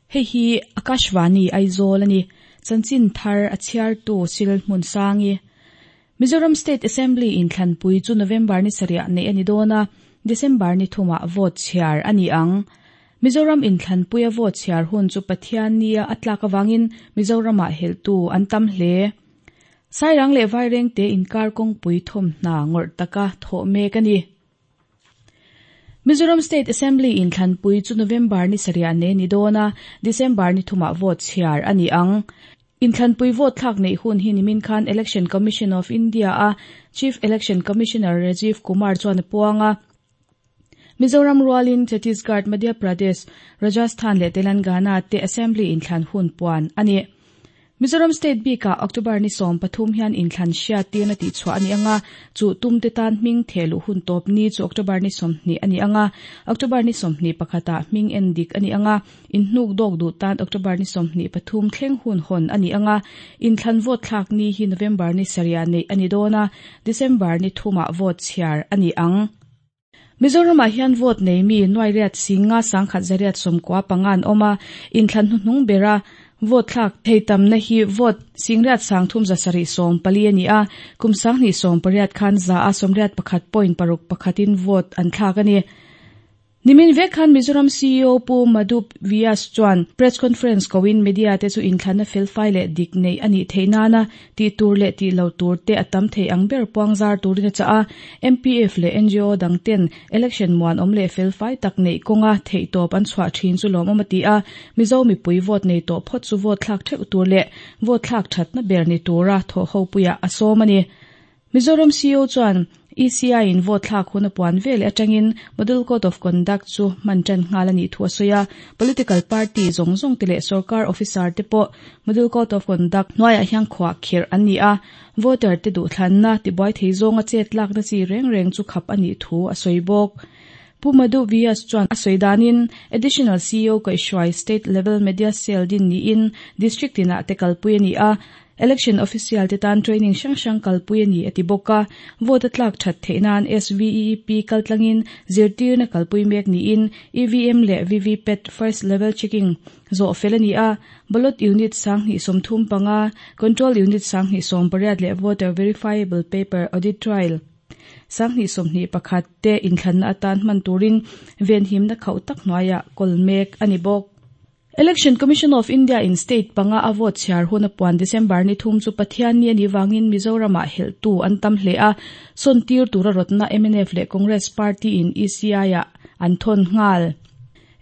Hei hi Akashvani Aizawl a ni. Chanchin thar a chhiartu Sil Hmunsangi. Mizoram State Assembly inthlanpui chu November ni sarih neih a ni dawn a, December ni thumah vote chhiar a ni ang. Mizoram inthlanpuia vote chhiar hun chu Pathiannia a tlak avangin Mizoramah helhtu an tam hle. Sairang leh Vairengte inkar kawngpui thawmhna ngawrh taka thawh mek a ni. Mizoram State Assembly inthlanpui chu November ni sarih nei ni dawn a, December ni thumah vote chhiar a ni ang. Inthlanpui vote thlak neih hun hi nimin khan Election Commission of India a Chief Election Commissioner Rajiv Kumar chuan a puang a. Mizoram rualin Chhattisgarh, Madhya Pradesh, Rajasthan leh Telangana te Assembly inthlan hun puan a ni. Mizoram State bikah October ni 13 hian inthlan hriat tirna tihchhuah a ni anga, chu tumte tan hming thehluh hun tawp ni chu October ni 20 a ni anga, October ni 21 ah hming en dik a ni anga, inhnuk dawk duh tan October ni 23 thleng hun hawn a ni anga, inthlan vote thlak ni hi November ni sarih neih a ni dawn a, December ni thumah vote chhiar a ni ang. Mizoramah hian vote nei mi nuai riat singa sangkhat zariat 95 an awm a, inthlan hnuhnung bera vote thlak thei tamna hi vote singriat sangthum zasarih 14 a ni a, kum 2018 khan za a 81.61 in vote an thlak a ni. Nimin vek khan Mizoram CEO Pu Madhu Vyas chuan press conference koin media te chu inthlanna felfai leh dik nei ani theih nana ti tur leh ti lo tur te atam thei ang ber puangzar turin a cha a. MPF leh NGO dang ten election muan awm leh felfai tak nei kawnga theih tawp an chhuah thin chu lawm awm a ti a. Mizo mipui vote nei tawh phawt chu vote thlak theuh tur leh vote thlak thatna ber ni tura thaw ho puia a sawm a ni. Mizoram CEO chuan ECI in vote thlak hun a puan vel atangin Model Code of Conduct chu man tan nghal ani thu a sawi a. Political party zawng zawng te leh sarkar officer te pawh Model Code of Conduct hnuaiah hian khuah khirh an ni a. Voter te duh thlanna tibuai thei zawnga chet lak na chi reng reng chu khap ani thu a sawi bawk. Pu Madhu Vyas chuan a sawi danin Additional CEO kaihhruai State Level Media Cell din niin District tinah te kalpui ani a. Election official te tan training hrang hrang kalpui ani a ti bawk a. Vote a tlak that theih nan SVEEP kaltlangin zirtirna kalpui mek niin EVM leh VVPAT first level checking zawh fel ani a. Ballot unit 2035, control unit 2018 leh voter verifiable paper audit trail 2021 te inthlanna atan hman turin venhimna khauh tak hnuaiah kawl mek ani bawk. Election Commission of India in state panga a vote chhiar hun a puan December ni thum chu Pathian ni ani wangin Mizoramah helhtu an tam hle a. Sawn tir tura rawtna MNF leh Congress Party in ECI ah an thawn nghal.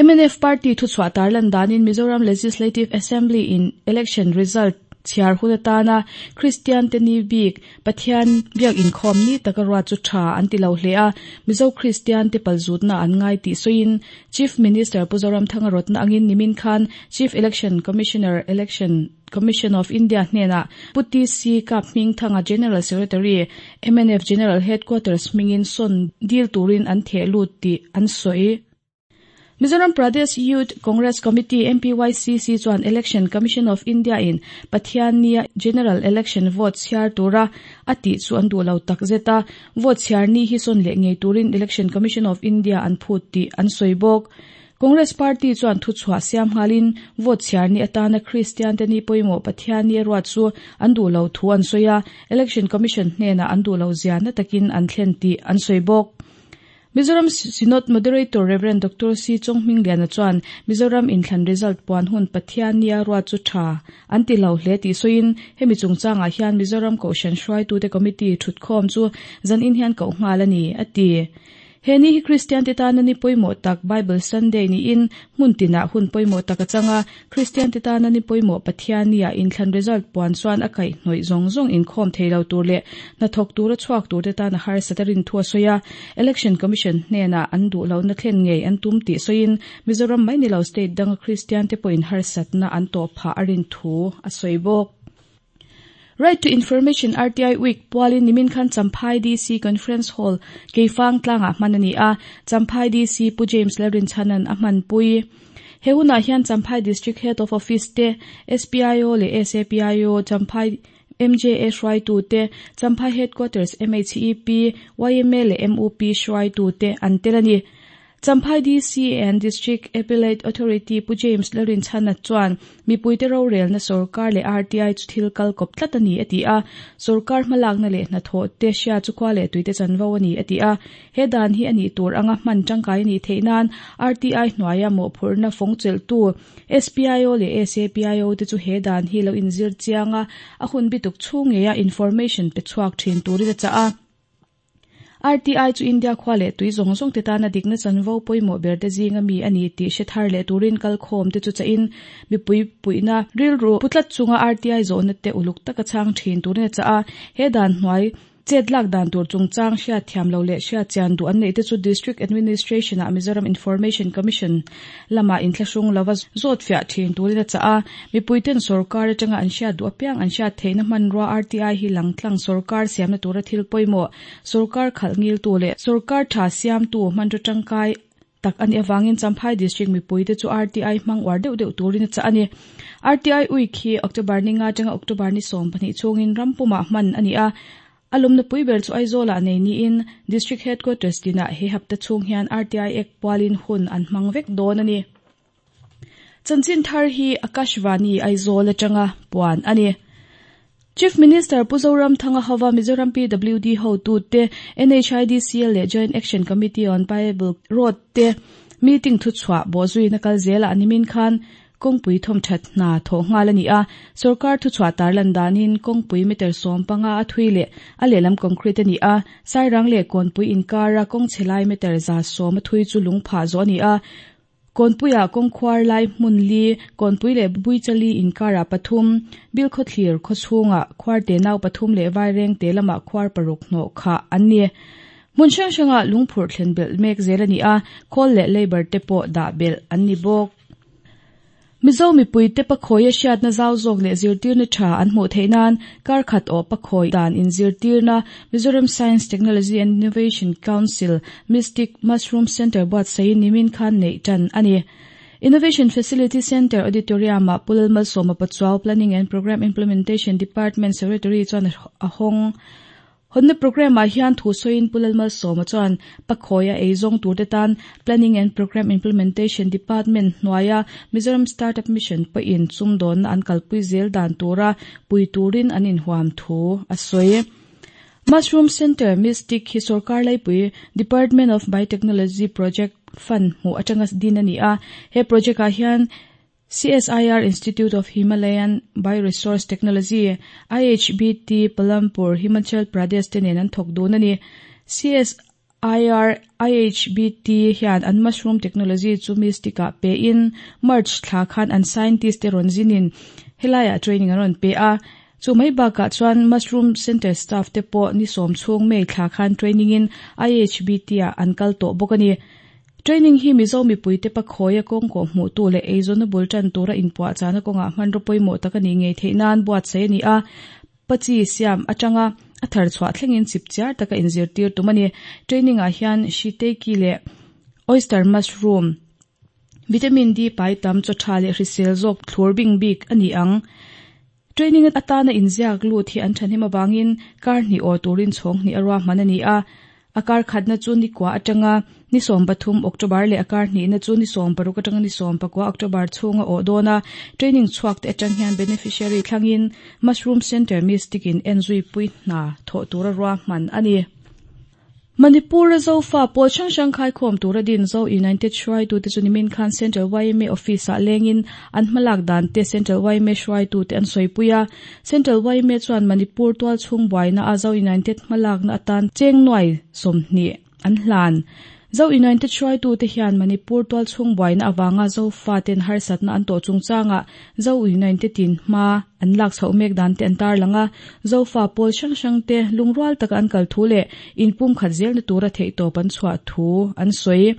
MNF Party thuchhuah tarlan danin Mizoram Legislative Assembly in election result chhiar hun atana Christian te ni bik Pathian biak inkhawm ni taka ruat chu tha an ti lo hle a. Mizo Christian te palzutna an ngai tih sawiin Chief Minister Pu Zoramthanga rawtna angin nimin khan Chief Election Commissioner Election Commission of India hnenah Pu TC Kap Hmingthanga General Secretary MNF General Headquarters hmingin sawn dil turin an theh lut tih an sawi. Mizoram Pradesh Youth Congress Committee MPYCC chuan Election Commission of India in Pathian nia General Election vote chhiar tura a tih chu an duh lo tak zet a. Vote chhiar ni hi sawn leh ngei turin Election Commission of India an phut tih an sawi bawk. Congress Party chuan thuchhuah siam nghalin vote chhiar ni atana Christian te ni pawimawh Pathian ni a ruat chu an duh lo thu an sawi a. Election Commission hnenah an duh lo zia na takin an thlen tih an sawi bawk. Mizoram Synod Moderator Reverend Dr. C. Chonghming Liana chuan Mizoram inthlan result puan hun Pathian nia ruat chu tha an ti lo hle tih sawiin hemi chungchangah hian Mizoram Kohhran hruaitute committee thutkhawm chu zan in hian koh nghal a ni a ti. He ni hi Christian te tana ni pawimawh tak Bible Sunday niin hmun tinah hun pawimawh tak a changa. Christian te tana ni pawimawh Pathian nia inthlan result puan chuan a kaih hnawih zawng zawng inkhawm thei lo tur leh hnathawk tura chhuak tur te tana harsat a rin thu a sawi a. Election Commission hnenah an duh lohna thlen ngei an tum tih sawiin Mizoram mai ni lo state danga Christian te pawhin harsatna an tawh phah a rin thu a sawi bawk. Right to Information RTI Week pualin nimin khan Champhai DC Conference Hall Keifang tlangah hman ani a. Champhai DC Pu James Lalrinchanan a hman pui. He hunah hian Champhai District Head of Office te, SPIO leh SAPIO, Champhai MJA hruaitu te, Champhai Headquarters MHEP, YMA leh MUP hruaitu te an tel ani. Champhai DC and District Appellate Authority Pu James Lalrinchhana chuan mipuite rorelna sorkar leh RTI chu thil kal kawp tlat a ni a ti a, sorkar hmalakna leh hnathawh te hria chu khua leh tuite chanvo a ni a ti a. He dan hi a nih tur anga hman tangkai a nih theih nan RTI hnuaia mawhphurhna fawng chelhtu SPIO leh SAPIO te chu he dan hi lo inzir chiang a, a hun bituk chhung ngeia information pe chhuak thin turin a chah a. RTI chu India khua leh tui zawng zawng te tana dikna chanvo pawimawh ber te zinga mi a ni tih hre thar leh turin kalkhawm te chu chahin mipui puihna rilru pu tlat chunga RTI zawhna te uluk taka chhang thin turin a chah a. He dan hnuai chet lak dan tur chungchang hriat thiam lo leh hriat chian duh an neih te chu District Administration ah Mizoram Information Commission lamah inthlahrung lova zawt fiah thin turin a chah a. Mipuiten sorkar atanga an hriat duh apiang an hriat theihna hmanrua RTI hi langtlang sorkar siamna tura thil pawimawh Sorkar khalh ngiltu leh sorkar tha siamtu hmanraw tangkai tak a nih avangin Champhai District mipuite chu RTI hmang uar deuh deuh turin a chah a ni. RTI Week hi October ni nga atanga October ni 12 chhungin ram pumah hman a ni a. A lawmna pui ber chu Aizawlah nei niin District Headquarters tinah he hapta chhung hian RTI Act pualin hun an hmang vek dawn a ni. Chanchin thar hi Akashvani Aizawl atanga puan a ni. Chief Minister Pu Zoramthanga hova Mizoram PWD hotute, NHIDCL leh Joint Action Committee on Payable Road te meeting thuchhuah bawhzuina kal zelah nimin khan kawngpui thawmthat hna thawh nghal a ni a. Sorkar thuchhuah tarlan danin kawngpui meter 15 a thui leh a lehlam concrete a ni a. Sairang leh Kawnpui inkara kawng chhe lai meter 110 a thui chu lungphah zawh a ni a. Kawnpuiah kawngkhuar lai hmun li, Kawnpui leh Buichali inkarah pathum, Bilkhawthlir khawchhungah khuar te nau pathum leh Vaireng te lamah khuar paruk hnawh khah an ni. Hmun hrang hrangah lungphurh thlen belh mek zel a ni a, khawl leh labour te pawh dah belh an ni bawk. Mizo mipuite pakhawi a hriatna zau zawk leh zirtirna tha an hmuh theih nan kar khat awh pakhawi dan inzirtirna Mizoram Science, Technology and Innovation Council Mystic Mushroom Centre buatsaihin nimin khan neih tan a ni. Innovation Facility Centre Auditorium-ah Pu Lalmalsawma Pachuau Planning and Programme Implementation Department Secretary chuan a hawng. Hawnna programme-ah hian thu sawiin Pu Lalmalsawma chuan Pakhawi a eizawng turte tan Planning and Programme Implementation Department hnuaia Mizoram Startup Mission pawhin sumdawnna an kalpui zel dan tura pui turin an inhuam thu a sawi. Mushroom Centre Mystic hi sorkar laipui Department of Biotechnology Project Fund hmuh atanga din a ni a, he project-ah hian CSIR Institute of Himalayan Bioresource Technology, IHBT, Palampur, Himachal Pradesh te nen an thawk dun a ni. CSIR IHBT hian an mushroom technology chu Mystic-ah pein March thla khan an scientist te rawn zinin helaiah training an rawn pe a. Chu mai bakah chuan Mushroom Centre staff te pawh ni sawm chhung May thla khan training in IHBT-ah an kal tawh bawk a ni. Training hi Mizo mipuite pakhawi a kawngkawh hmuhtu leh eizawnna bul tan tura inpuahchahna kawngah hmanraw pawimawh tak a nih ngei theih nan buatsaih a ni a, pachi siam atanga a thar chhuah thlengin chipchiar taka inzirtir tum a ni. Training ah hian Shiitake leh Oyster mushroom, Vitamin D pai tam, chaw tha leh hrisel zawk thlur bing bik a ni ang. Training atana inziak lut hi an thahnem avangin kar hnih aw turin chhawng hnih a ruahman a ni a. A kar khatna chu ni kua atanga ni 13 October leh a kar hnihna chu ni 16 atanga ni 19 October chhunga awh dawn a. Training chhuak te atang hian beneficiary thlangin Mushroom Centre Mystic in enzui pui hna thawh tura ruahman a ni. Manipur-a Zofa pawl hrang hrang khaikhawm tura din Zo United hruaitute chu nimin khan Central yma Office-ah lengin an hmalak dan te Central yma hruaitute an sawipui a. Central yma chuan Manipur tualchhung buaina a Zo United hmalakna atan cheng nuai 20 an hlan. Zo United hruaitute hian Manipur tualchhung buaina avanga Zofa ten harsatna an tawh chungchangah Zo United-in hma an lak chhoh mek dan te an tarlang a, Zofa pawl hrang hrang te lungrual taka an kal thu leh inpumkhat zelna tura theihtawp an chhuah thu an sawi.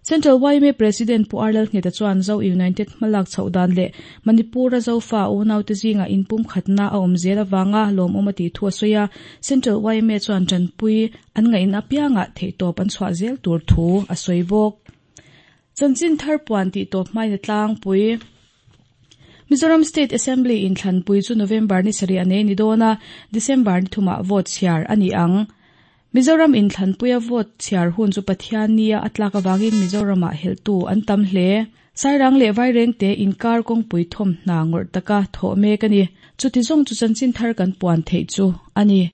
Central yma President Pu R Lalngheta chuan Zo United hmalak chhoh dan leh Manipur-a Zofa unaute zingah inpumkhatna a awm zel avanga lawmawm a tih thu a sawi a, Central yma chuan tanpui an ngaihna apiangah theihtawp an chhuah zel tur thu a sawi bawk. Chanchin thar puan tih tawp hmaina tlangpui. Mizoram State Assembly inthlanpui chu November ni sarih a nei ni dawn a, December ni thumah vote chhiar a ni ang. Mizoram inthlanpuia vote chhiar hun chu Pathianni-a a tlak avangin Mizoramah helhtu an tam hle. Sairang leh Vairengte inkar kawngpui thawmhna ngawrh taka thawh mek a ni. Chuti zawng chu chanchin thar kan puan theih chu a ni.